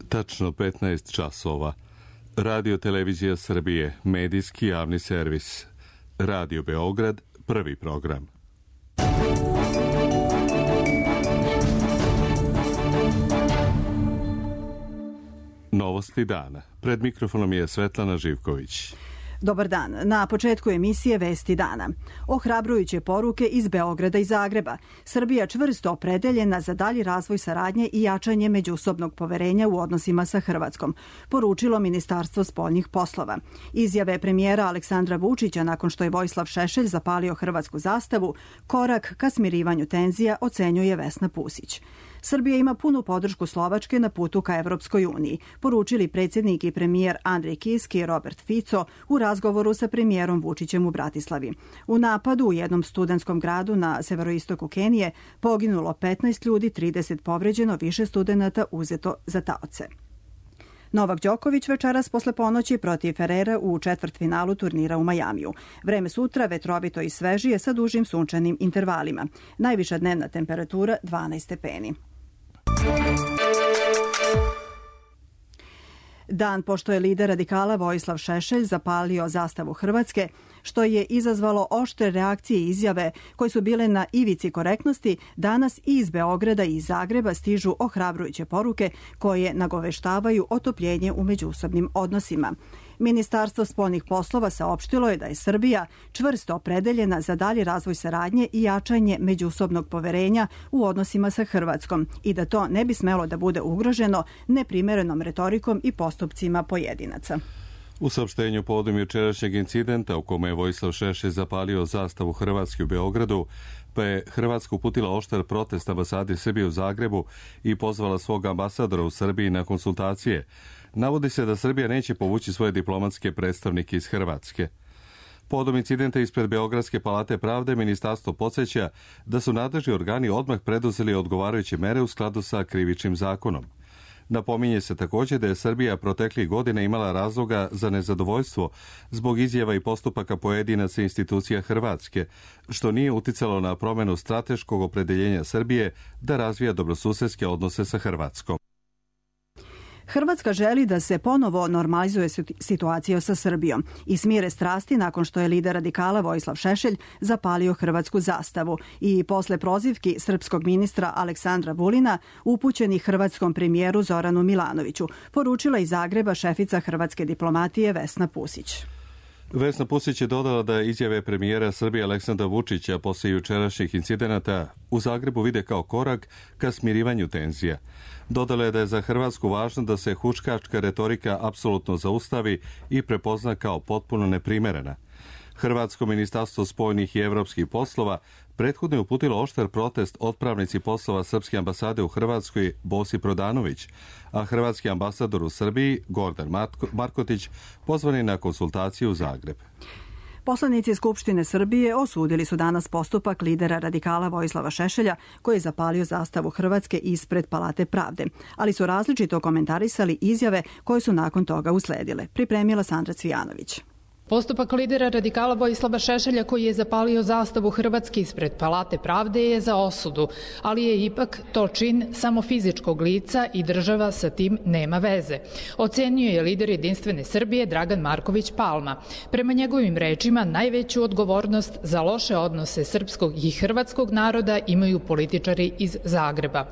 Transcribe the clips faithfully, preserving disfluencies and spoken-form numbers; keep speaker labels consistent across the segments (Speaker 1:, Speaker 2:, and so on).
Speaker 1: Tačno petnaest časova. Radio Televizija Srbije, medijski javni servis. Radio Beograd, prvi program. Novosti dana. Pred mikrofonom je Svetlana Živković.
Speaker 2: Dobar dan. Na početku emisije Vesti dana. Ohrabrujuće poruke iz Beograda i Zagreba. Srbija čvrsto opredeljena za dalji razvoj saradnje i jačanje međusobnog poverenja u odnosima sa Hrvatskom, poručilo Ministarstvo spoljnih poslova. Izjave premijera Aleksandra Vučića nakon što je Vojislav Šešelj zapalio hrvatsku zastavu, korak ka smirivanju tenzija, ocenjuje Vesna Pusić. Srbija ima punu podršku Slovačke na putu ka Evropskoj uniji, poručili predsjednik i premijer Andrej Kiski i Robert Fico u razgovoru sa premijerom Vučićem u Bratislavi. U napadu u jednom studentskom gradu na severoistoku Kenije poginulo petnaest ljudi, trideset povređeno, više studenata uzeto za taoce. Novak Đoković večeras posle ponoći protiv Ferrera u četvrtfinalu turnira u Majamiju. Vreme sutra vetrovito i svežije sa dužim sunčanim intervalima. Najviša dnevna temperatura dvanaest stepeni. Dan pošto je lider radikala Vojislav Šešelj zapalio zastavu Hrvatske, što je izazvalo oštre reakcije i izjave koje su bile na ivici korektnosti, danas i iz Beograda i iz Zagreba stižu ohrabrujuće poruke koje nagoveštavaju otopljenje u međusobnim odnosima. Ministarstvo spoljnih poslova saopštilo je da je Srbija čvrsto opredeljena za dalji razvoj saradnje i jačanje međusobnog poverenja u odnosima sa Hrvatskom i da to ne bi smelo da bude ugroženo neprimerenom retorikom i postupcima pojedinaca.
Speaker 1: U saopštenju povodom jučerašnjeg incidenta u kome je Vojislav Šešelj zapalio zastavu Hrvatske u Beogradu, pa je Hrvatska uputila oštar protest ambasadi Srbije u Zagrebu i pozvala svog ambasadora u Srbiji na konsultacije. Navodi se da Srbija neće povući svoje diplomatske predstavnike iz Hrvatske. Povodom incidenta ispred Beogradske palate pravde, ministarstvo podsjeća da su nadležni organi odmah preduzeli odgovarajuće mere u skladu sa krivičnim zakonom. Napominje se također da je Srbija proteklih godina imala razloga za nezadovoljstvo zbog izjava i postupaka pojedinaca institucija Hrvatske, što nije uticalo na promjenu strateškog opredeljenja Srbije da razvija dobrosusedske odnose sa Hrvatskom.
Speaker 2: Hrvatska želi da se ponovo normalizuje situacija sa Srbijom i smire strasti nakon što je lider radikala Vojislav Šešelj zapalio hrvatsku zastavu i posle prozivki srpskog ministra Aleksandra Vulina upućenih hrvatskom premijeru Zoranu Milanoviću, poručila iz Zagreba šefica hrvatske diplomatije Vesna Pusić.
Speaker 1: Vesna Pusić je dodala da izjave premijera Srbije Aleksandra Vučića posle jučerašnjih incidenata u Zagrebu vide kao korak ka smirivanju tenzija. Dodala je da je za Hrvatsku važno da se huškačka retorika apsolutno zaustavi i prepozna kao potpuno neprimerena. Hrvatsko ministarstvo spoljnih i evropskih poslova prethodno je uputilo oštar protest otpravnici poslova Srpske ambasade u Hrvatskoj Bosi Prodanović, a hrvatski ambasador u Srbiji Gordan Markotić pozvani na konsultaciju u Zagreb.
Speaker 2: Poslanici Skupštine Srbije osudili su danas postupak lidera radikala Vojislava Šešelja koji je zapalio zastavu Hrvatske ispred Palate pravde, ali su različito komentarisali izjave koje su nakon toga usledile. Pripremila Sandra Cvijanović.
Speaker 3: Postupak lidera radikala Vojislava Šešelja koji je zapalio zastavu Hrvatske ispred Palate pravde je za osudu, ali je ipak to čin samo fizičkog lica i država sa tim nema veze. Ocenio je lider Jedinstvene Srbije Dragan Marković Palma. Prema njegovim rečima najveću odgovornost za loše odnose srpskog i hrvatskog naroda imaju političari iz Zagreba.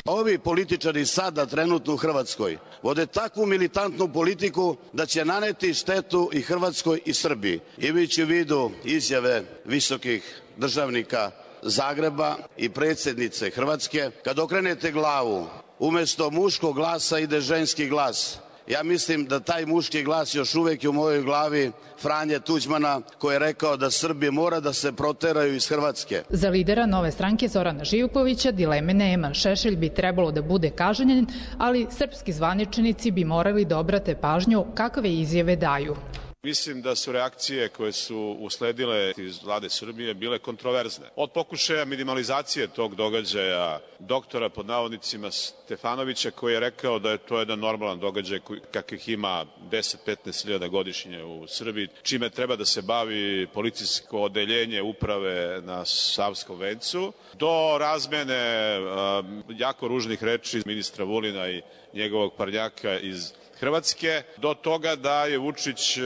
Speaker 4: Ovi političari sada trenutno u Hrvatskoj vode takvu militantnu politiku da će naneti štetu i Hrvatskoj i Srbiji. Imajući u vidu izjave visokih državnika Zagreba i predsjednice Hrvatske, kad okrenete glavu, umjesto muškog glasa ide ženski glas. Ja mislim da taj muški glas još uvijek je u mojoj glavi Franje Tuđmana koji je rekao da Srbi mora da se proteraju iz Hrvatske.
Speaker 3: Za lidera Nove stranke Zorana Živkovića dileme nema. Šešelj bi trebalo da bude kažnjen, ali srpski zvaničnici bi morali da obrate pažnju kakve izjave daju.
Speaker 5: Mislim da su reakcije koje su usledile iz vlade Srbije bile kontroverzne. Od pokušaja minimalizacije tog događaja doktora pod navodnicima Stefanovića, koji je rekao da je to jedan normalan događaj kakvih ima deset do petnaest hiljada godišnje u Srbiji, čime treba da se bavi policijsko odeljenje uprave na Savskom vencu, do razmene uh, jako ružnih reči ministra Vulina i njegovog parnjaka iz Hrvatske, do toga da je Vučić e,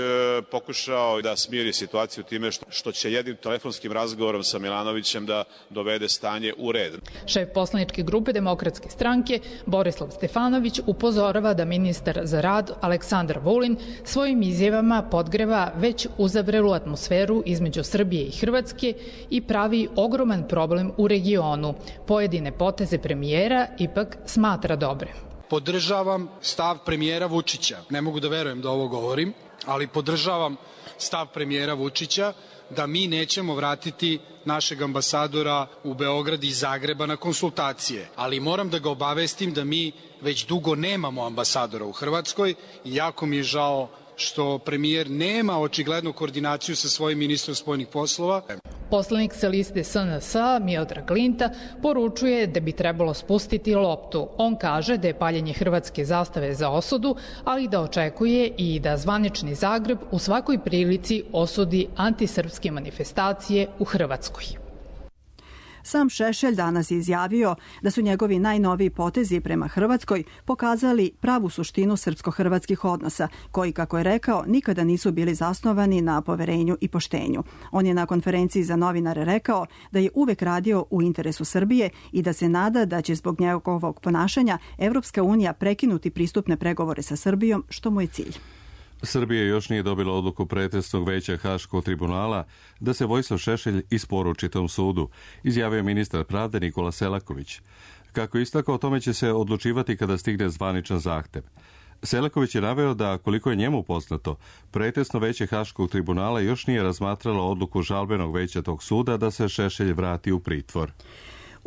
Speaker 5: pokušao da smiri situaciju time što, što će jednim telefonskim razgovorom sa Milanovićem da dovede stanje u red.
Speaker 3: Šef poslaničke grupe Demokratske stranke Borislav Stefanović upozorava da ministar za rad Aleksandar Vulin svojim izjavama podgreva već uzavrelu atmosferu između Srbije i Hrvatske i pravi ogroman problem u regionu. Pojedine poteze premijera ipak smatra dobre.
Speaker 6: Podržavam stav premijera Vučića. Ne mogu da verujem da ovo govorim, ali podržavam stav premijera Vučića da mi nećemo vratiti našeg ambasadora u Beograd iz Zagreba na konsultacije. Ali moram da ga obavestim da mi već dugo nemamo ambasadora u Hrvatskoj i jako mi je žao što premijer nema očiglednu koordinaciju sa svojim ministrom spoljnih poslova.
Speaker 3: Poslanik sa liste S N S Miodrag Linta poručuje da bi trebalo spustiti loptu. On kaže da je paljenje hrvatske zastave za osudu, ali da očekuje i da zvanični Zagreb u svakoj prilici osudi antisrpske manifestacije u Hrvatskoj.
Speaker 2: Sam Šešelj danas je izjavio da su njegovi najnoviji potezi prema Hrvatskoj pokazali pravu suštinu srpsko-hrvatskih odnosa, koji, kako je rekao, nikada nisu bili zasnovani na poverenju i poštenju. On je na konferenciji za novinare rekao da je uvek radio u interesu Srbije i da se nada da će zbog njegovog ponašanja Evropska unija prekinuti pristupne pregovore sa Srbijom, što mu je cilj.
Speaker 1: Srbija još nije dobila odluku pretresnog veća Haškog tribunala da se Vojislav Šešelj isporuči tom sudu, izjavio ministar pravde Nikola Selaković. Kako istakao, o tome će se odlučivati kada stigne zvaničan zahtev. Selaković je naveo da, koliko je njemu poznato, pretresno veće Haškog tribunala još nije razmatralo odluku žalbenog veća tog suda da se Šešelj vrati u pritvor.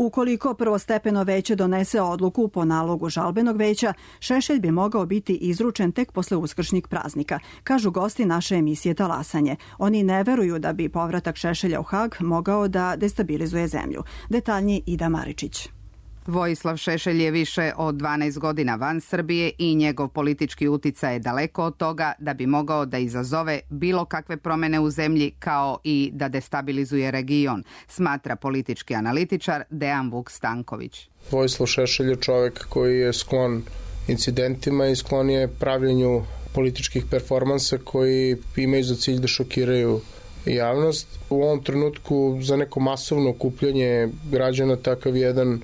Speaker 2: Ukoliko prvostepeno veće donese odluku po nalogu žalbenog veća, Šešelj bi mogao biti izručen tek posle uskršnjih praznika, kažu gosti naše emisije Talasanje. Oni ne veruju da bi povratak Šešelja u Hag mogao da destabilizuje zemlju. Detaljnije Ida Maričić.
Speaker 7: Vojislav Šešelj je više od dvanaest godina van Srbije i njegov politički uticaj je daleko od toga da bi mogao da izazove bilo kakve promene u zemlji kao i da destabilizuje region, smatra politički analitičar Dejan Vuk Stanković.
Speaker 8: Vojislav Šešelj je čovjek koji je sklon incidentima i sklon je pravljenju političkih performansa koji imaju za cilj da šokiraju javnost. U ovom trenutku za neko masovno okupljanje građana takav jedan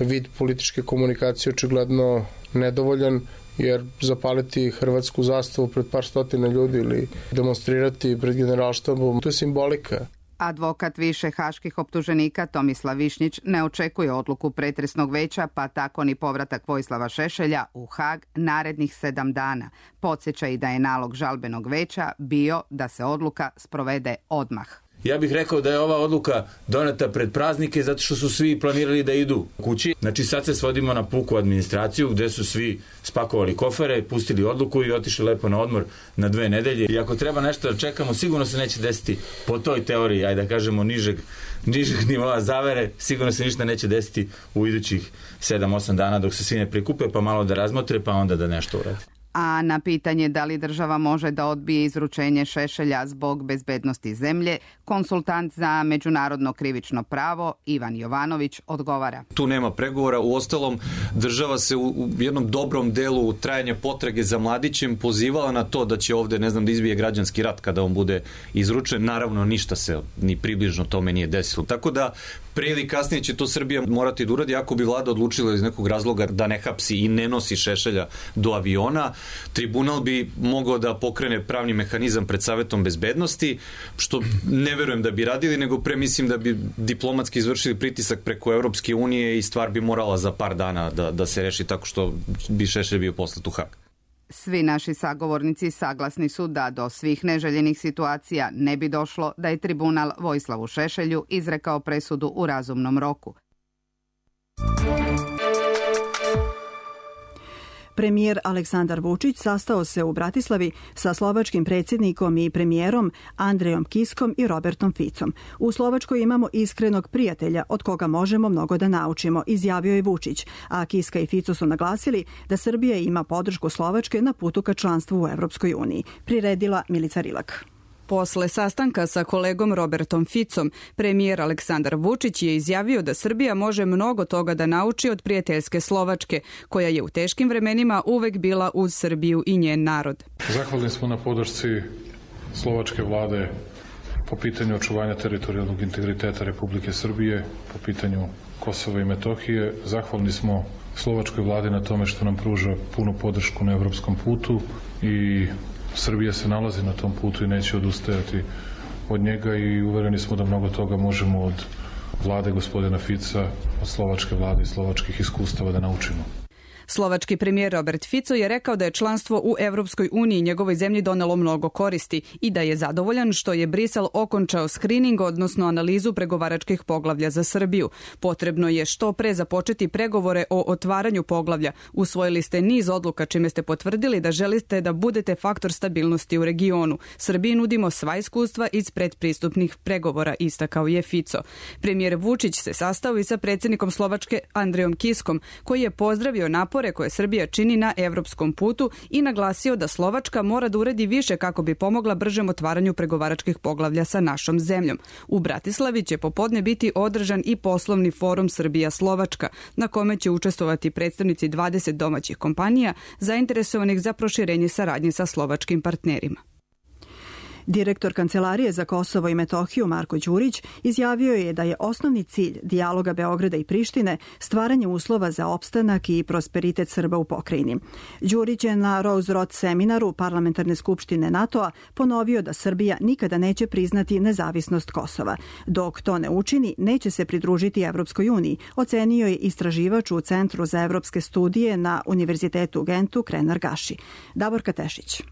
Speaker 8: vid političke komunikacije očigledno nedovoljan, jer zapaliti hrvatsku zastavu pred par stotina ljudi ili demonstrirati pred generalštabom, to je simbolika.
Speaker 7: Advokat više haških optuženika Tomislav Višnjić ne očekuje odluku pretresnog veća, pa tako ni povratak Vojislava Šešelja u Hag narednih sedam dana. Podsjeća i da je nalog žalbenog veća bio da se odluka sprovede odmah.
Speaker 9: Ja bih rekao da je ova odluka doneta pred praznike zato što su svi planirali da idu kući. Znači sad se svodimo na puku administraciju gde su svi spakovali kofere, pustili odluku i otišli lepo na odmor na dve nedelje. I ako treba nešto da čekamo, sigurno se neće desiti po toj teoriji, ajde da kažemo nižeg, nižeg nivoa zavere, sigurno se ništa neće desiti u idućih sedam osam dana dok se svi ne prikupe, pa malo da razmotre, pa onda da nešto uradi.
Speaker 7: A na pitanje da li država može da odbije izručenje Šešelja zbog bezbednosti zemlje, konsultant za međunarodno krivično pravo Ivan Jovanović odgovara.
Speaker 10: Tu nema pregovora, uostalom država se u jednom dobrom delu trajanja potrage za mladićem pozivala na to da će ovde, ne znam, da izbije građanski rat kada on bude izručen. Naravno, ništa se ni približno tome nije desilo. Tako da prije ili kasnije će to Srbija morati da uradi ako bi vlada odlučila iz nekog razloga da ne hapsi i ne nosi Šešelja do aviona. Tribunal bi mogao da pokrene pravni mehanizam pred Savetom bezbednosti, što ne verujem da bi radili, nego pre mislim da bi diplomatski izvršili pritisak preko Evropske unije i stvar bi morala za par dana da, da se reši tako što bi Šešelj bio poslat u Hag.
Speaker 7: Svi naši sagovornici saglasni su da do svih neželjenih situacija ne bi došlo da je tribunal Vojislavu Šešelju izrekao presudu u razumnom roku.
Speaker 2: Premijer Aleksandar Vučić sastao se u Bratislavi sa slovačkim predsjednikom i premijerom Andrejom Kiskom i Robertom Ficom. U Slovačkoj imamo iskrenog prijatelja od koga možemo mnogo da naučimo, izjavio je Vučić, a Kiska i Fico su naglasili da Srbija ima podršku Slovačke na putu ka članstvu u Evropskoj uniji. Priredila Milica Rilak.
Speaker 11: Posle sastanka sa kolegom Robertom Ficom, premijer Aleksandar Vučić je izjavio da Srbija može mnogo toga da nauči od prijateljske Slovačke, koja je u teškim vremenima uvek bila uz Srbiju i njen narod.
Speaker 12: Zahvalni smo na podršci slovačke vlade po pitanju očuvanja teritorijalnog integriteta Republike Srbije, po pitanju Kosova i Metohije. Zahvalni smo slovačkoj vladi na tome što nam pruža punu podršku na evropskom putu i Srbija se nalazi na tom putu i neće odustajati od njega i uvereni smo da mnogo toga možemo od vlade gospodina Fica, od slovačke vlade i slovačkih iskustava da naučimo.
Speaker 11: Slovački premijer Robert Fico je rekao da je članstvo u Evropskoj uniji njegovoj zemlji donelo mnogo koristi i da je zadovoljan što je Brisel okončao skrining, odnosno analizu pregovaračkih poglavlja za Srbiju. Potrebno je što pre započeti pregovore o otvaranju poglavlja. Usvojili ste niz odluka čime ste potvrdili da želite da budete faktor stabilnosti u regionu. Srbiji nudimo sva iskustva iz predpristupnih pregovora, istakao je Fico. Premijer Vučić se sastao i sa predsjednikom Slovačke Andrejom Kiskom, koji je pozdravio napor koje Srbija čini na evropskom putu i naglasio da Slovačka mora da uredi više kako bi pomogla bržem otvaranju pregovaračkih poglavlja sa našom zemljom. U Bratislavi će popodne biti održan i poslovni forum Srbija-Slovačka, na kome će učestvovati predstavnici dvadeset domaćih kompanija zainteresovanih za proširenje saradnje sa slovačkim partnerima.
Speaker 2: Direktor Kancelarije za Kosovo i Metohiju Marko Đurić izjavio je da je osnovni cilj dijaloga Beograda i Prištine stvaranje uslova za opstanak i prosperitet Srba u pokrajini. Đurić je na Rose Road seminaru Parlamentarne skupštine NATO-a ponovio da Srbija nikada neće priznati nezavisnost Kosova. Dok to ne učini, neće se pridružiti Evropskoj uniji, ocenio je istraživač u Centru za evropske studije na Univerzitetu u Gentu Krenar Gaši. Davorka Tešić.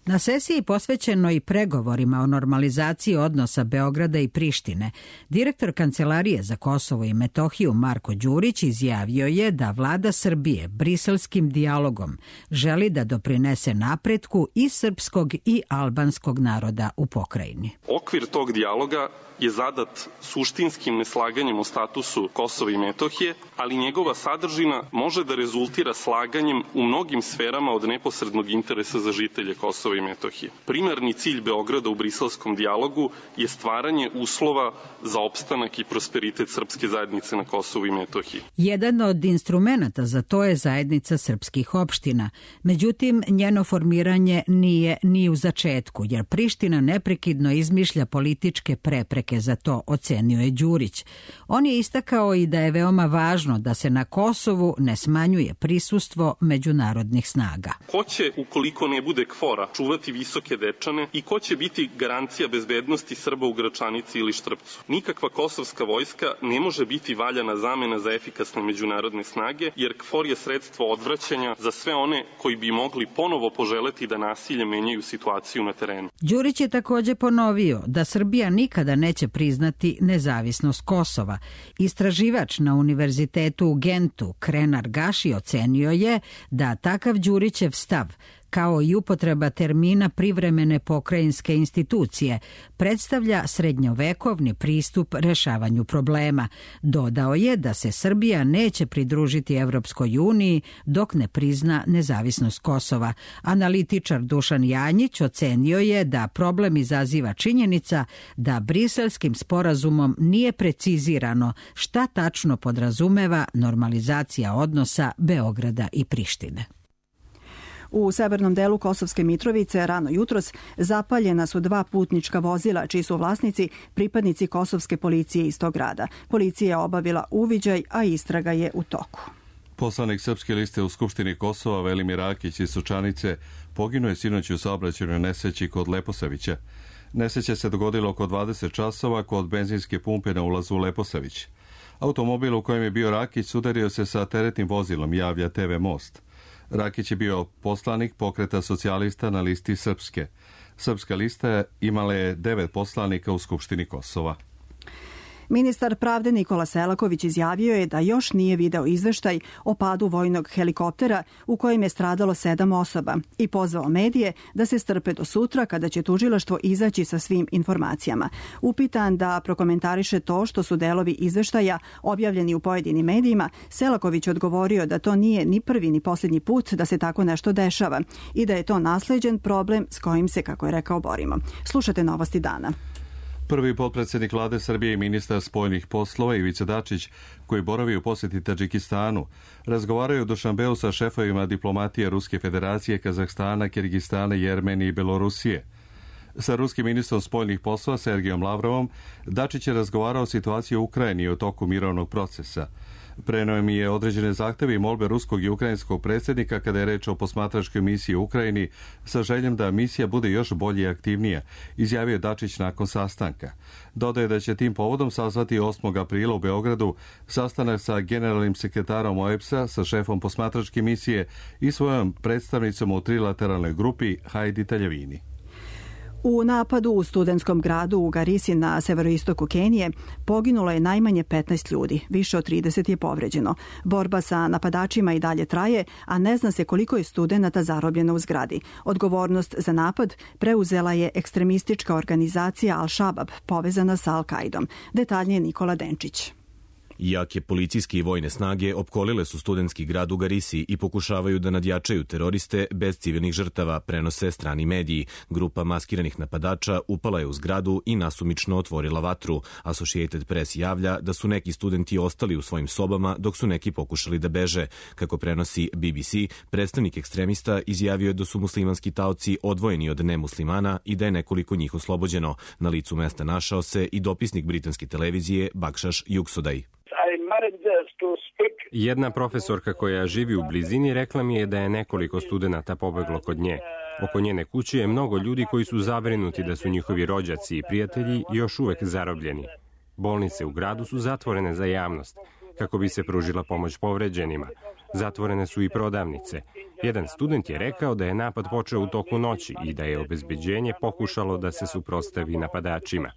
Speaker 13: Na sesiji posvećenoj pregovorima o normalizaciji odnosa Beograda i Prištine, direktor Kancelarije za Kosovo i Metohiju Marko Đurić izjavio je da vlada Srbije briselskim dijalogom želi da doprinese napretku i srpskog i albanskog naroda u pokrajini.
Speaker 14: Okvir tog dijaloga je zadat suštinskim neslaganjem o statusu Kosova i Metohije, ali njegova sadržina može da rezultira slaganjem u mnogim sferama od neposrednog interesa za žitelje Kosova i Metohije. Primarni cilj Beograda u briselskom dijalogu je stvaranje uslova za opstanak i prosperitet srpske zajednice na Kosovu i Metohiji.
Speaker 13: Jedan od instrumenata za to je zajednica srpskih opština. Međutim, njeno formiranje nije ni u začetku, jer Priština neprekidno izmišlja političke prepreke za to, ocenio je Đurić. On je istakao i da je veoma važno da se na Kosovu ne smanjuje prisustvo međunarodnih snaga.
Speaker 14: Ko će, ukoliko ne bude kvora, čuvati Visoke Dečane i ko će biti garancija bezbednosti Srba u Gračanici ili Štrpcu? Nikakva kosovska vojska ne može biti valjana zamena za efikasne međunarodne snage, jer kfor je sredstvo odvraćanja za sve one koji bi mogli ponovo poželeti da nasilje menjaju situaciju na terenu.
Speaker 13: Đurić je također ponovio da Srbija nikada neće priznati nezavisnost Kosova. Istraživač na Univerzitetu u Gentu Krenar Gaši ocenio je da takav Đurićev stav, kao i upotreba termina privremene pokrajinske institucije, predstavlja srednjovekovni pristup rešavanju problema. Dodao je da se Srbija neće pridružiti Evropskoj uniji dok ne prizna nezavisnost Kosova. Analitičar Dušan Janjić ocenio je da problem izaziva činjenica da briselskim sporazumom nije precizirano šta tačno podrazumeva normalizacija odnosa Beograda i Prištine.
Speaker 2: U severnom delu Kosovske Mitrovice rano jutros zapaljena su dva putnička vozila čiji su vlasnici pripadnici kosovske policije iz tog grada. Policija je obavila uviđaj, a istraga je u toku.
Speaker 1: Poslanik Srpske liste u Skupštini Kosova Velimir Rakić iz Sučanice poginuo je sinoć u saobraćajnoj nesreći kod Leposavića. Nesreća se dogodila oko dvadeset časova kod benzinske pumpe na ulazu u Leposavić. Automobil u kojem je bio Rakić udario se sa teretnim vozilom, javlja te ve Most. Rakić je bio poslanik Pokreta socijalista na listi Srpske. Srpska lista imala je devet poslanika u Skupštini Kosova.
Speaker 2: Ministar pravde Nikola Selaković izjavio je da još nije video izveštaj o padu vojnog helikoptera u kojem je stradalo sedam osoba i pozvao medije da se strpe do sutra kada će tužilaštvo izaći sa svim informacijama. Upitan da prokomentariše to što su delovi izveštaja objavljeni u pojedinim medijima, Selaković odgovorio da to nije ni prvi ni posljednji put da se tako nešto dešava i da je to nasleđen problem s kojim se, kako je rekao, borimo. Slušate Novosti dana.
Speaker 1: Prvi potpredsjednik vlade Srbije i ministar spoljnih poslova Ivica Dačić, koji boravi u posjeti Tadžikistanu, razgovaraju u Dušanbeu sa šefovima diplomatije Ruske federacije, Kazahstana, Kirgistana, Jermenije i Belorusije. Sa ruskim ministrom spoljnih poslova Sergijom Lavrovom Dačić je razgovarao o situaciji u Ukrajini u toku mirovnog procesa. Preneo mi je određene zahteve i molbe ruskog i ukrajinskog predsjednika kada je reč o posmatračkoj misiji u Ukrajini sa željom da misija bude još bolje i aktivnija, izjavio Dačić nakon sastanka. Dodaje da će tim povodom sazvati osmog aprila u Beogradu sastanak sa generalnim sekretarom O E B S-a, sa šefom posmatračke misije i svojom predstavnicom u trilateralnoj grupi Hajdi Taljevini.
Speaker 2: U napadu u studentskom gradu u Garisi na severoistoku Kenije poginulo je najmanje petnaest ljudi, više od trideset je povređeno. Borba sa napadačima i dalje traje, a ne zna se koliko je studenata zarobljeno u zgradi. Odgovornost za napad preuzela je ekstremistička organizacija Al-Shabab, povezana sa Al-Kaidom. Detaljnije Nikola Denčić.
Speaker 15: Jake policijske i vojne snage opkolile su studentski grad u Garisi i pokušavaju da nadjačaju teroriste bez civilnih žrtava, prenose strani mediji. Grupa maskiranih napadača upala je u zgradu i nasumično otvorila vatru. Associated Press javlja da su neki studenti ostali u svojim sobama dok su neki pokušali da beže. Kako prenosi B B C, predstavnik ekstremista izjavio je da su muslimanski taoci odvojeni od nemuslimana i da je nekoliko njih oslobođeno. Na licu mesta našao se i dopisnik britanske televizije Bakšaš Juksodaj.
Speaker 16: Jedna profesorka koja živi u blizini rekla mi je da je nekoliko studenata pobeglo kod nje. Oko njene kuće je mnogo ljudi koji su zabrinuti da su njihovi rođaci i prijatelji još uvek zarobljeni. Bolnice u gradu su zatvorene za javnost, kako bi se pružila pomoć povređenima. Zatvorene su i prodavnice. Jedan student je rekao da je napad počeo u toku noći i da je obezbeđenje pokušalo da se suprotstavi napadačima.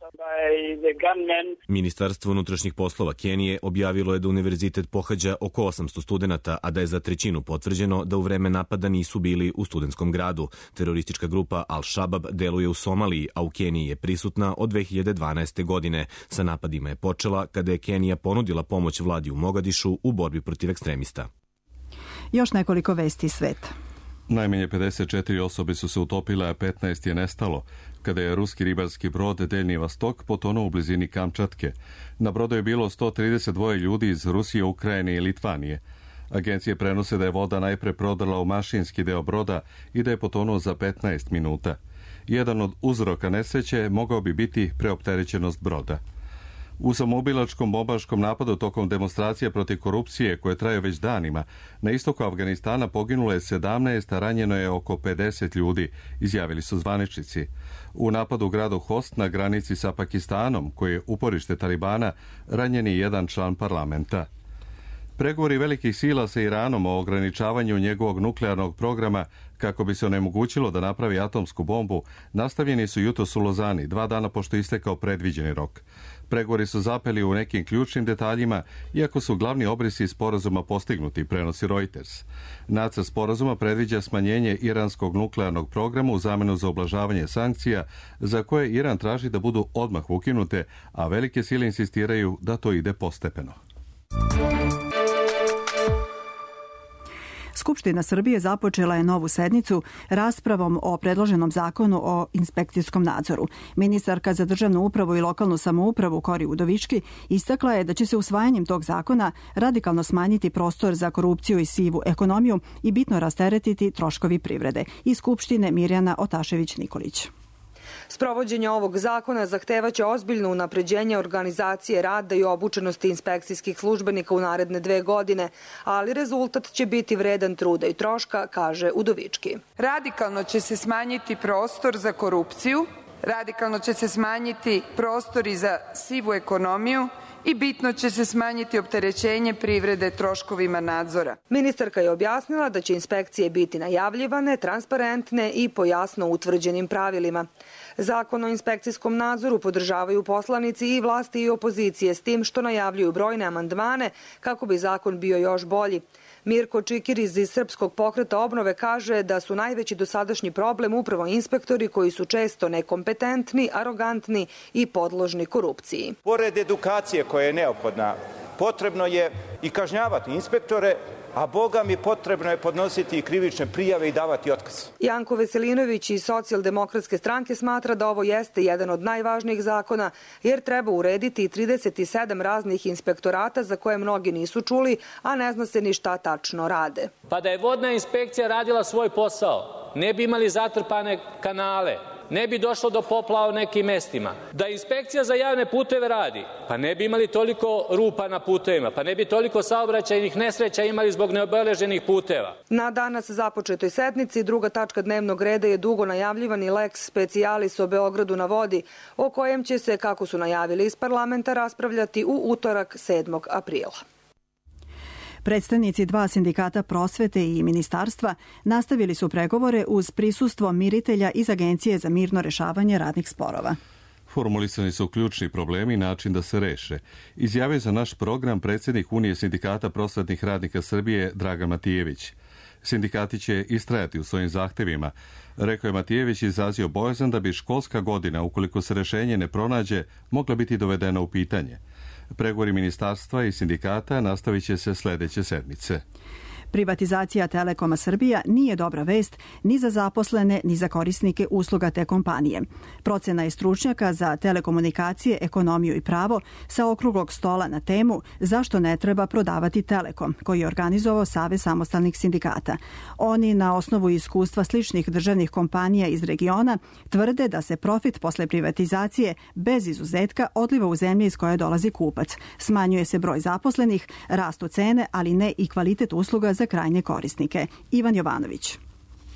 Speaker 15: Ministarstvo unutrašnjih poslova Kenije objavilo je da univerzitet pohađa oko osamsto studenata, a da je za trećinu potvrđeno da u vreme napada nisu bili u studentskom gradu. Teroristička grupa Al-Shabab deluje u Somaliji, a u Keniji je prisutna od dve hiljade dvanaeste. godine. Sa napadima je počela kada je Kenija ponudila pomoć vladi u Mogadišu u borbi protiv ekstremista.
Speaker 2: Još nekoliko vesti iz sveta.
Speaker 1: Najmanje pedeset četiri osobe su se utopile, a petnaest je nestalo, kada je ruski ribarski brod Deljni Vostok potonuo u blizini Kamčatke. Na brodu je bilo sto trideset dva ljudi iz Rusije, Ukrajine i Litvanije. Agencije prenose da je voda najpre prodrla u mašinski deo broda i da je potonuo za petnaest minuta. Jedan od uzroka nesreće mogao bi biti preopterećenost broda. U samoubilačkom bombaškom napadu tokom demonstracije protiv korupcije koje traju već danima, na istoku Afganistana poginulo je sedamnaest, a ranjeno je oko pedeset ljudi, izjavili su zvaničnici. U napadu u gradu Host na granici sa Pakistanom, koji je uporište Talibana, ranjen je jedan član parlamenta. Pregovori velikih sila sa Iranom o ograničavanju njegovog nuklearnog programa kako bi se onemogućilo da napravi atomsku bombu nastavljeni su jutros u Lozani, dva dana pošto je istekao predviđeni rok. Pregovori su zapeli u nekim ključnim detaljima, iako su glavni obrisi sporazuma postignuti, prenosi Reuters. Nacrt sporazuma predviđa smanjenje iranskog nuklearnog programa u zamenu za ublažavanje sankcija, za koje Iran traži da budu odmah ukinute, a velike sile insistiraju da to ide postepeno.
Speaker 2: Skupština Srbije započela je novu sednicu raspravom o predloženom zakonu o inspekcijskom nadzoru. Ministarka za državnu upravu i lokalnu samoupravu Kori Udovički istakla je da će se usvajanjem tog zakona radikalno smanjiti prostor za korupciju i sivu ekonomiju i bitno rasteretiti troškovi privrede. Iz Skupštine Mirjana Otašević-Nikolić.
Speaker 17: Sprovođenje ovog zakona zahtevaće ozbiljno unapređenje organizacije rada i obučenosti inspekcijskih službenika u naredne dve godine, ali rezultat će biti vredan truda i troška, kaže Udovički.
Speaker 18: Radikalno će se smanjiti prostor za korupciju, radikalno će se smanjiti prostori za sivu ekonomiju i bitno će se smanjiti opterećenje privrede troškovima nadzora.
Speaker 17: Ministarka je objasnila da će inspekcije biti najavljivane, transparentne i po jasno utvrđenim pravilima. Zakon o inspekcijskom nadzoru podržavaju poslanici i vlasti i opozicije, s tim što najavljuju brojne amandmane kako bi zakon bio još bolji. Mirko Čikiriz iz Srpskog pokreta obnove kaže da su najveći dosadašnji problem upravo inspektori koji su često nekompetentni, arogantni i podložni korupciji.
Speaker 19: Pored edukacije koja je neophodna, potrebno je i kažnjavati inspektore, a Boga mi potrebno je podnositi i krivične prijave i davati otkaz.
Speaker 17: Janko Veselinović iz Socijaldemokratske stranke smatra da ovo jeste jedan od najvažnijih zakona, jer treba urediti trideset sedam raznih inspektorata za koje mnogi nisu čuli, a ne zna se ni šta tačno rade.
Speaker 20: Pa da je vodna inspekcija radila svoj posao, ne bi imali zatrpane kanale, ne bi došlo do poplava u nekim mestima. Da inspekcija za javne puteve radi, pa ne bi imali toliko rupa na putevima, pa ne bi toliko saobraćajnih nesreća imali zbog neobeleženih puteva.
Speaker 17: Na danas započetoj sednici druga tačka dnevnog reda je dugo najavljivani lex specialis o Beogradu na vodi, o kojem će se, kako su najavili iz parlamenta, raspravljati u utorak sedmog aprila.
Speaker 2: Predstavnici dva sindikata prosvete i ministarstva nastavili su pregovore uz prisustvo miritelja iz Agencije za mirno rešavanje radnih sporova.
Speaker 1: Formulisani su ključni problemi i način da se reše. Izjavio za naš program predsjednik Unije sindikata prosvetnih radnika Srbije Dragan Matijević. Sindikati će istrajati u svojim zahtevima. Rekao je Matijević, izrazio bojazan da bi školska godina, ukoliko se rešenje ne pronađe, mogla biti dovedena u pitanje. Pregovori ministarstva i sindikata nastavit će se sljedeće sedmice.
Speaker 2: Privatizacija Telekoma Srbija nije dobra vest ni za zaposlene, ni za korisnike usluga te kompanije. Procena je stručnjaka za telekomunikacije, ekonomiju i pravo sa okruglog stola na temu zašto ne treba prodavati Telekom, koji je organizovao Savez samostalnih sindikata. Oni, na osnovu iskustva sličnih državnih kompanija iz regiona, tvrde da se profit posle privatizacije bez izuzetka odliva u zemlje iz koje dolazi kupac. Smanjuje se broj zaposlenih, rastu cene, ali ne i kvalitet usluga za krajnje korisnike. Ivan Jovanović.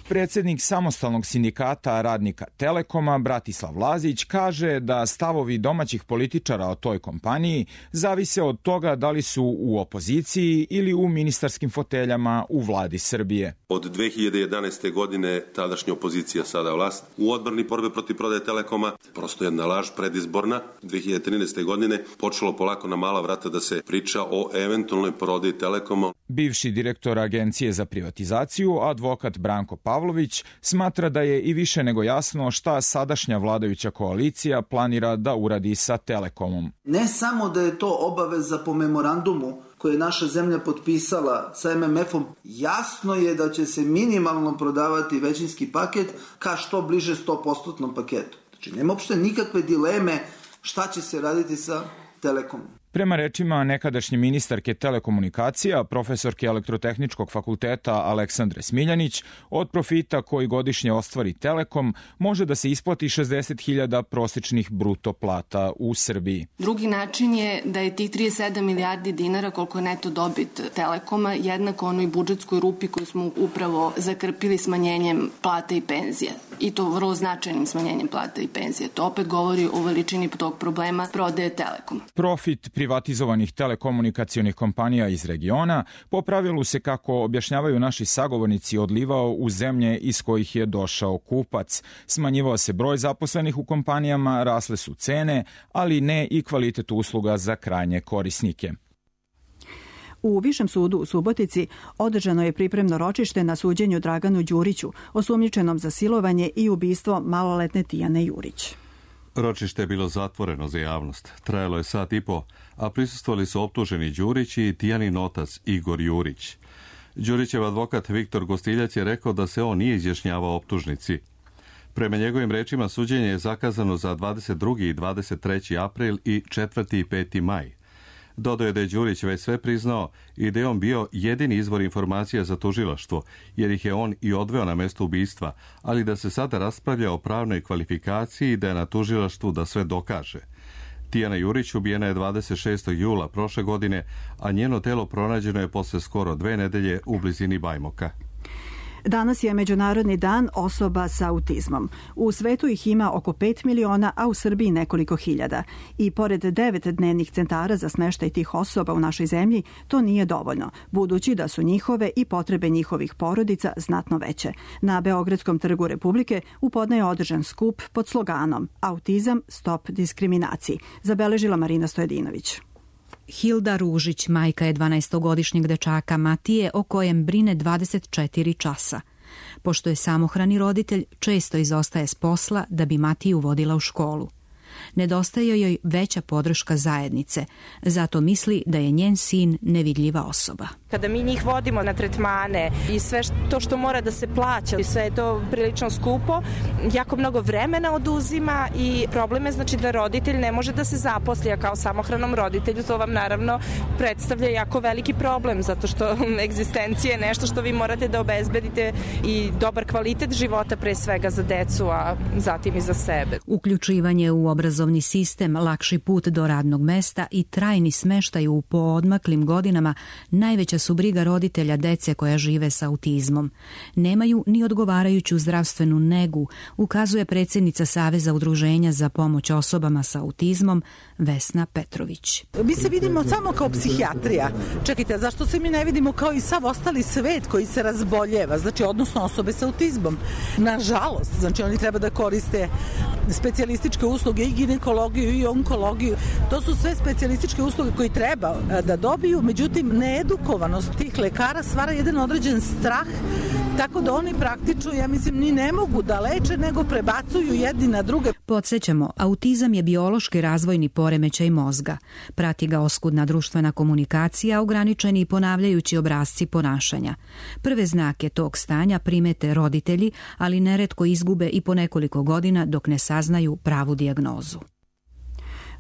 Speaker 21: Predsjednik samostalnog sindikata radnika Telekoma, Bratislav Lazić, kaže da stavovi domaćih političara o toj kompaniji zavise od toga da li su u opoziciji ili u ministarskim foteljama u vladi Srbije.
Speaker 22: Od dve hiljade jedanaeste. godine tadašnja opozicija, sada vlast, u odbrani borbe protiv prodaje Telekoma, prosto jedna laž predizborna. dve hiljade trinaeste. godine počelo polako na mala vrata da se priča o eventualnoj prodaji Telekoma.
Speaker 21: Bivši direktor Agencije za privatizaciju, advokat Branko Pavlović, smatra da je i više nego jasno šta sadašnja vladajuća koalicija planira da uradi sa Telekomom.
Speaker 23: Ne samo da je to obaveza po memorandumu koje je naša zemlja potpisala sa em em efom, jasno je da će se minimalno prodavati većinski paket ka što bliže sto posto paketu. Znači, nema uopšte nikakve dileme šta će se raditi sa Telekomom.
Speaker 21: Prema rečima nekadašnje ministarke telekomunikacija, profesorke Elektrotehničkog fakulteta Aleksandre Smiljanić, od profita koji godišnje ostvari Telekom može da se isplati šezdeset hiljada prosječnih bruto plata u Srbiji.
Speaker 24: Drugi način je da je tih trideset sedam milijardi dinara, koliko je neto dobit Telekoma, jednako onoj budžetskoj rupi koju smo upravo zakrpili smanjenjem plata i penzija. I to vrlo značajnim smanjenjem plata i penzija. To opet govori o veličini tog problema prodaje Telekoma.
Speaker 21: Profit privatizovanih telekomunikacionih kompanija iz regiona po pravilu se, kako objašnjavaju naši sagovornici, odlivao u zemlje iz kojih je došao kupac. Smanjivao se broj zaposlenih u kompanijama, rasle su cene, ali ne i kvalitet usluga za krajnje korisnike.
Speaker 2: U Višem sudu u Subotici održano je pripremno ročište na suđenju Draganu Đuriću, osumnjičenom za silovanje i ubistvo maloletne Tijane Jurić.
Speaker 1: Ročište je bilo zatvoreno za javnost. Trajalo je sat i po, a prisustvovali su optuženi Đurić i Tijanin otac Igor Jurić. Đurićev advokat Viktor Gostiljac je rekao da se on nije izjašnjavao optužnici. Prema njegovim rečima, suđenje je zakazano za dvadeset drugi i dvadeset treći april i četvrti i peti maj. Dodao je da je Đurić već sve priznao i da je on bio jedini izvor informacija za tužilaštvo, jer ih je on i odveo na mesto ubistva, ali da se sada raspravlja o pravnoj kvalifikaciji i da je na tužilaštvu da sve dokaže. Tijana Jurić ubijena je dvadeset šestog jula prošle godine, a njeno telo pronađeno je posle skoro dve nedelje u blizini Bajmoka.
Speaker 2: Danas je Međunarodni dan osoba sa autizmom. U svetu ih ima oko pet miliona, a u Srbiji nekoliko hiljada. I pored devet dnevnih centara za smeštaj tih osoba u našoj zemlji, to nije dovoljno, budući da su njihove i potrebe njihovih porodica znatno veće. Na Beogradskom trgu Republike u podne je održan skup pod sloganom Autizam, stop diskriminaciji, zabeležila Marina Stojedinović.
Speaker 3: Hilda Ružić, majka je dvanaestogodišnjeg dečaka Matije, o kojem brine dvadeset četiri časa. Pošto je samohrani roditelj, često izostaje s posla da bi Matiju vodila u školu. Nedostaje joj veća podrška zajednice, zato misli da je njen sin nevidljiva osoba.
Speaker 4: Kada mi njih vodimo na tretmane i sve to što mora da se plaća, i sve je to prilično skupo, jako mnogo vremena oduzima i problem je znači da roditelj ne može da se zaposli, a kao samohranom roditelju to vam naravno predstavlja jako veliki problem, zato što egzistencija je nešto što vi morate da obezbedite i dobar kvalitet života pre svega za decu, a zatim i za sebe.
Speaker 3: Uključivanje u obrazovni sistem, lakši put do radnog mesta i trajni smeštaj u poodmaklim godinama najveća su briga roditelja dece koja žive sa autizmom. Nemaju ni odgovarajuću zdravstvenu negu, ukazuje predsjednica Saveza udruženja za pomoć osobama sa autizmom Vesna Petrović.
Speaker 5: Mi se vidimo samo kao psihijatrija. Čekajte, zašto se mi ne vidimo kao i sav ostali svet koji se razboljeva, znači odnosno osobe sa autizmom? Nažalost, znači oni treba da koriste specijalističke usluge i ginekologiju i onkologiju. To su sve specijalističke usluge koji treba da dobiju, međutim needukovanost tih lekara stvara jedan određen strah, tako da oni praktično, ja mislim, ni ne mogu da leče, nego prebacuju jedni na druge.
Speaker 3: Podsjećamo, autizam je biološki razvojni poremećaj mozga. Prati ga oskudna društvena komunikacija, ograničeni i ponavljajući obrasci ponašanja. Prve znake tog stanja primete roditelji, ali neretko izgube i po nekoliko godina dok ne saznaju pravu dijagnozu.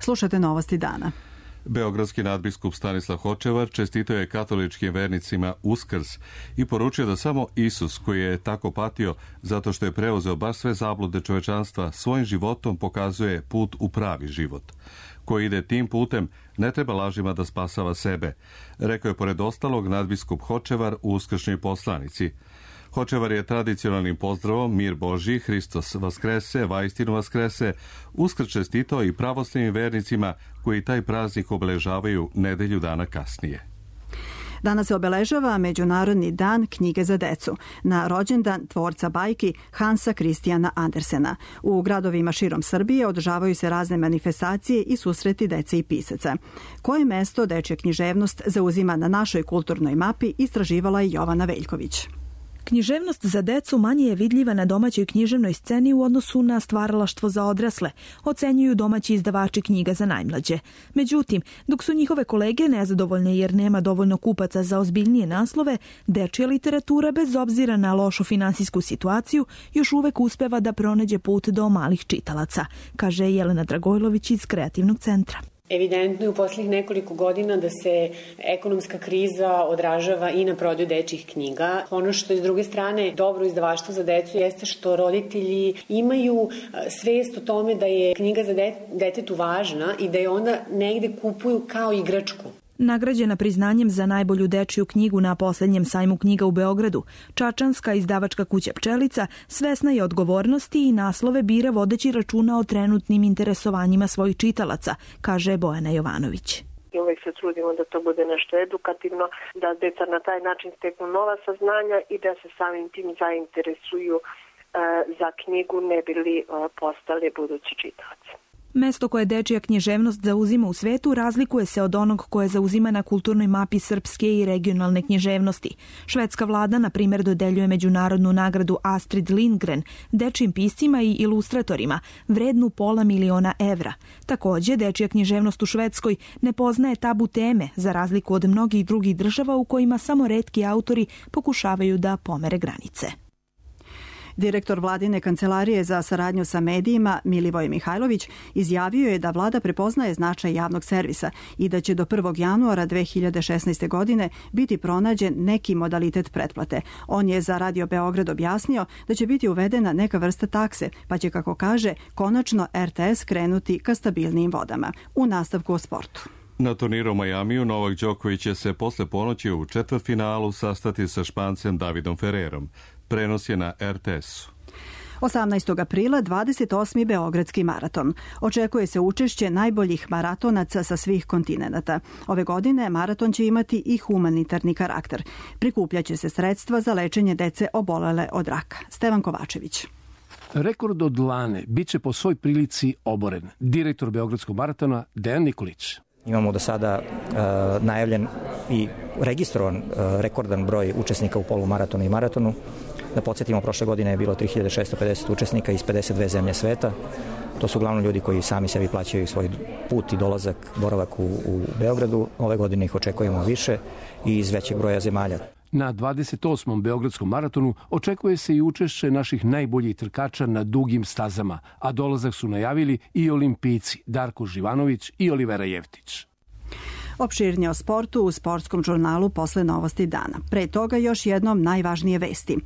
Speaker 2: Slušate novosti dana.
Speaker 1: Beogradski nadbiskup Stanislav Hočevar čestitao je katoličkim vernicima Uskrs i poručio da samo Isus, koji je tako patio zato što je preuzeo baš sve zablude čovečanstva, svojim životom pokazuje put u pravi život. Ko ide tim putem, ne treba lažima da spasava sebe, rekao je pored ostalog nadbiskup Hočevar u uskršnjoj poslanici. Hočevar je tradicionalnim pozdravom Mir Božji, Hristos Vaskrese, Vaistinu Vaskrese, Uskrs čestitao i pravoslavnim vernicima koji taj praznik obeležavaju nedelju dana kasnije.
Speaker 2: Danas se obeležava Međunarodni dan knjige za decu, na rođendan tvorca bajki Hansa Kristijana Andersena. U gradovima širom Srbije održavaju se razne manifestacije i susreti dece i pisaca. Koje mesto dečja književnost zauzima na našoj kulturnoj mapi, istraživala je Jovana Veljković.
Speaker 6: Književnost za decu manje je vidljiva na domaćoj književnoj sceni u odnosu na stvaralaštvo za odrasle, ocenjuju domaći izdavači knjiga za najmlađe. Međutim, dok su njihove kolege nezadovoljne jer nema dovoljno kupaca za ozbiljnije naslove, dečja literatura, bez obzira na lošu finansijsku situaciju, još uvek uspeva da pronađe put do malih čitalaca, kaže Jelena Dragojlović iz Kreativnog centra.
Speaker 25: Evidentno je u posljednjih nekoliko godina da se ekonomska kriza odražava i na prodaju dečjih knjiga. Ono što je s druge strane dobro izdavaštvo za decu jeste što roditelji imaju svest o tome da je knjiga za detetu važna i da je onda negde kupuju kao igračku.
Speaker 6: Nagrađena priznanjem za najbolju dečju knjigu na posljednjem sajmu knjiga u Beogradu, čačanska izdavačka kuća Pčelica svesna je odgovornosti i naslove bira vodeći računa o trenutnim interesovanjima svojih čitalaca, kaže Bojana Jovanović.
Speaker 26: I uvek se trudimo da to bude nešto edukativno, da deca na taj način steknu nova saznanja i da se samim tim zainteresuju e, za knjigu, ne bi li e, postali budući čitaoci.
Speaker 6: Mesto koje dečija književnost zauzima u svetu razlikuje se od onog koje zauzima na kulturnoj mapi srpske i regionalne književnosti. Švedska vlada, na primjer, dodeljuje međunarodnu nagradu Astrid Lindgren dečijim piscima i ilustratorima, vrednu pola miliona evra. Također, dečija književnost u Švedskoj ne poznaje tabu teme, za razliku od mnogih drugih država u kojima samo retki autori pokušavaju da pomere granice.
Speaker 2: Direktor vladine kancelarije za saradnju sa medijima Milivoj Mihajlović izjavio je da vlada prepoznaje značaj javnog servisa i da će do prvog januara dve hiljade šesnaeste. godine biti pronađen neki modalitet pretplate. On je za Radio Beograd objasnio da će biti uvedena neka vrsta takse, pa će, kako kaže, konačno R T S krenuti ka stabilnijim vodama. U nastavku o sportu.
Speaker 1: Na turniru u Majamiju Novak Đoković će se posle ponoći u četvrtfinalu sastati sa Špancem Davidom Ferrerom. Prenos je na er te esu.
Speaker 2: osamnaestog aprila dvadeset osmi Beogradski maraton. Očekuje se učešće najboljih maratonaca sa svih kontinenata. Ove godine maraton će imati i humanitarni karakter. Prikupljaće se sredstva za lečenje dece obolele od raka. Stevan Kovačević.
Speaker 7: Rekord od Lane biće po svoj prilici oboren. Direktor Beogradskog maratona Dejan Nikolić.
Speaker 8: Imamo do sada uh, najavljen i registrovan uh, rekordan broj učesnika u polumaratonu i maratonu. Da podsjetimo, prošle godine je bilo tri hiljade šesto pedeset učesnika iz pedeset dve zemlje sveta. To su uglavnom ljudi koji sami sebi plaćaju svoj put i dolazak, boravak u, u Beogradu. Ove godine ih očekujemo više i iz većeg broja zemalja.
Speaker 7: Na dvadeset osmom Beogradskom maratonu očekuje se i učešće naših najboljih trkača na dugim stazama, a dolazak su najavili i olimpijci Darko Živanović i Olivera Jevtić.
Speaker 2: Opširnije o sportu u sportskom žurnalu posle novosti dana. Pre toga još jednom najvažnije vesti.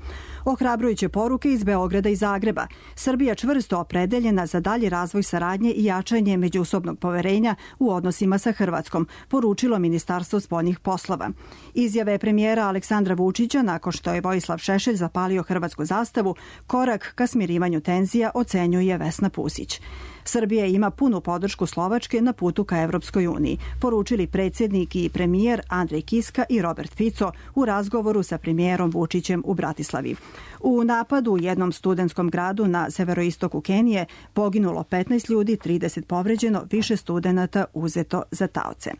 Speaker 2: Ohrabrujuće poruke iz Beograda i Zagreba. Srbija čvrsto opredeljena za dalji razvoj saradnje i jačanje međusobnog poverenja u odnosima sa Hrvatskom, poručilo Ministarstvo spoljnih poslova. Izjave premijera Aleksandra Vučića nakon što je Vojislav Šešelj zapalio hrvatsku zastavu, korak ka smirivanju tenzija, ocenjuje Vesna Pusić. Srbija ima punu podršku Slovačke na putu ka Evropskoj uniji, poručili predsjednik i premijer Andrej Kiska i Robert Fico u razgovoru sa premijerom Vučićem u Bratislavi. U napadu u jednom studentskom gradu na severoistoku Kenije poginulo petnaest ljudi, trideset povređeno, više studenata uzeto za taoce.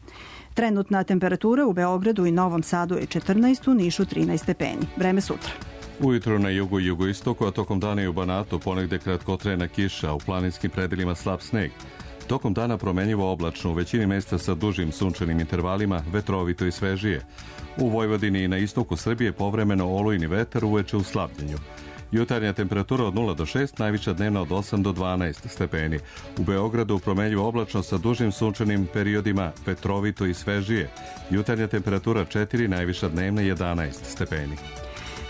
Speaker 2: Trenutna temperatura u Beogradu i Novom Sadu je četrnaest, u Nišu trinaest stepeni. Vreme sutra.
Speaker 1: Ujutro na jugu i jugoistoku, a tokom dana i u Banatu ponegde kratkotrajna kiša, u planinskim predelima slab sneg. Tokom dana promenljivo oblačno, u većini mesta sa dužim sunčanim intervalima, vetrovito i svežije. U Vojvodini i na istoku Srbije povremeno olujni vetar, uveče u slabljenju. Jutarnja temperatura od nula do šest, najviša dnevna od osam do dvanaest stepeni. U Beogradu promenljivo oblačno sa dužim sunčanim periodima, vetrovito i svežije. Jutarnja temperatura četiri, najviša dnevna jedanaest stepeni.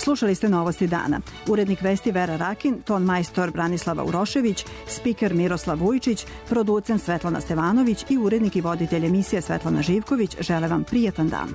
Speaker 2: Slušali ste novosti dana. Urednik vesti Vera Rakin, ton majstor Branislava Urošević, spiker Miroslav Vujčić, producent Svetlana Stevanović i urednik i voditelj emisije Svetlana Živković žele vam prijetan dan.